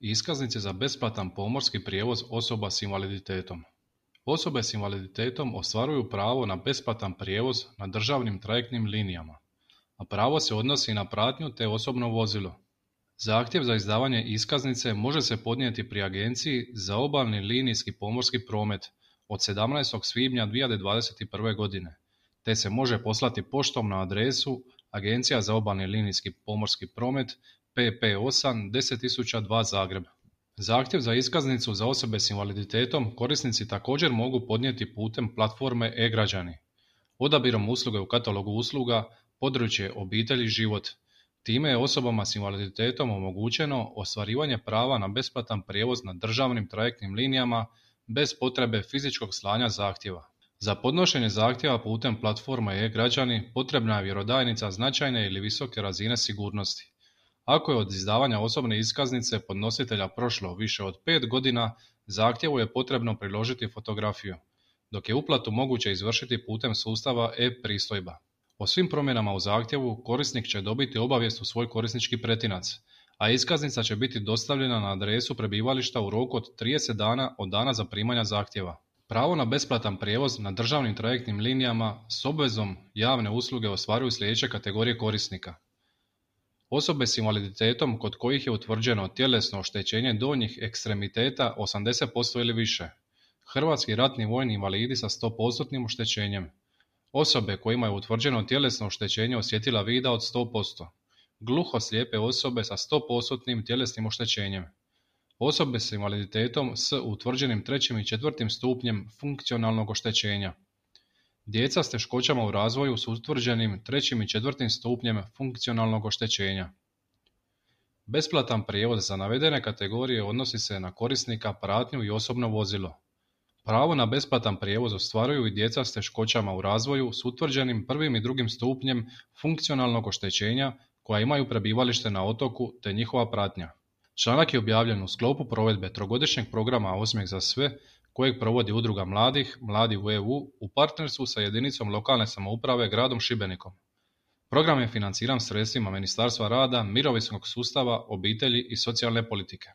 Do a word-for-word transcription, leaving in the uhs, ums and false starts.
Iskaznice za besplatan pomorski prijevoz osoba s invaliditetom. Osobe s invaliditetom ostvaruju pravo na besplatan prijevoz na državnim trajektnim linijama, a pravo se odnosi na pratnju te osobno vozilo. Zahtjev za izdavanje iskaznice može se podnijeti pri Agenciji za obalni linijski pomorski promet od sedamnaestog svibnja dvije tisuće dvadeset prve. godine, te se može poslati poštom na adresu Agencija za obalni linijski pomorski promet P P osam deset tisuća dva Zagreb. Zahtjev za iskaznicu za osobe s invaliditetom korisnici također mogu podnijeti putem platforme e-Građani. Odabirom usluge u katalogu usluga područje obitelj i život. Time je osobama s invaliditetom omogućeno ostvarivanje prava na besplatan prijevoz na državnim trajektnim linijama bez potrebe fizičkog slanja zahtjeva. Za podnošenje zahtjeva putem platforme e-Građani potrebna je vjerodajnica značajne ili visoke razine sigurnosti. Ako je od izdavanja osobne iskaznice podnositelja prošlo više od pet godina, zahtjevu je potrebno priložiti fotografiju, dok je uplatu moguće izvršiti putem sustava e-pristojba. O svim promjenama u zahtjevu korisnik će dobiti obavijest u svoj korisnički pretinac, a iskaznica će biti dostavljena na adresu prebivališta u roku od trideset dana od dana zaprimanja zahtjeva. Pravo na besplatan prijevoz na državnim trajektnim linijama s obvezom javne usluge ostvaruju sljedeće kategorije korisnika. Osobe s invaliditetom kod kojih je utvrđeno tjelesno oštećenje donjih ekstremiteta osamdeset posto ili više. Hrvatski ratni vojni invalidi sa sto posto oštećenjem. Osobe kojima je utvrđeno tjelesno oštećenje osjetila vida od sto posto. Gluho-slijepe osobe sa sto posto tjelesnim oštećenjem. Osobe s invaliditetom s utvrđenim trećim i četvrtim stupnjem funkcionalnog oštećenja. Djeca s teškoćama u razvoju s utvrđenim trećim i četvrtim stupnjem funkcionalnog oštećenja. Besplatan prijevoz za navedene kategorije odnosi se na korisnika, pratnju i osobno vozilo. Pravo na besplatan prijevoz ostvaruju i djeca s teškoćama u razvoju s utvrđenim prvim i drugim stupnjem funkcionalnog oštećenja koja imaju prebivalište na otoku te njihova pratnja. Članak je objavljen u sklopu provedbe trogodišnjeg programa Osmijeh za sve kojeg provodi Udruga mladih, Mladi u E U, u partnerstvu sa jedinicom lokalne samouprave gradom Šibenikom. Program je financiran sredstvima Ministarstva rada, mirovinskog sustava, obitelji i socijalne politike.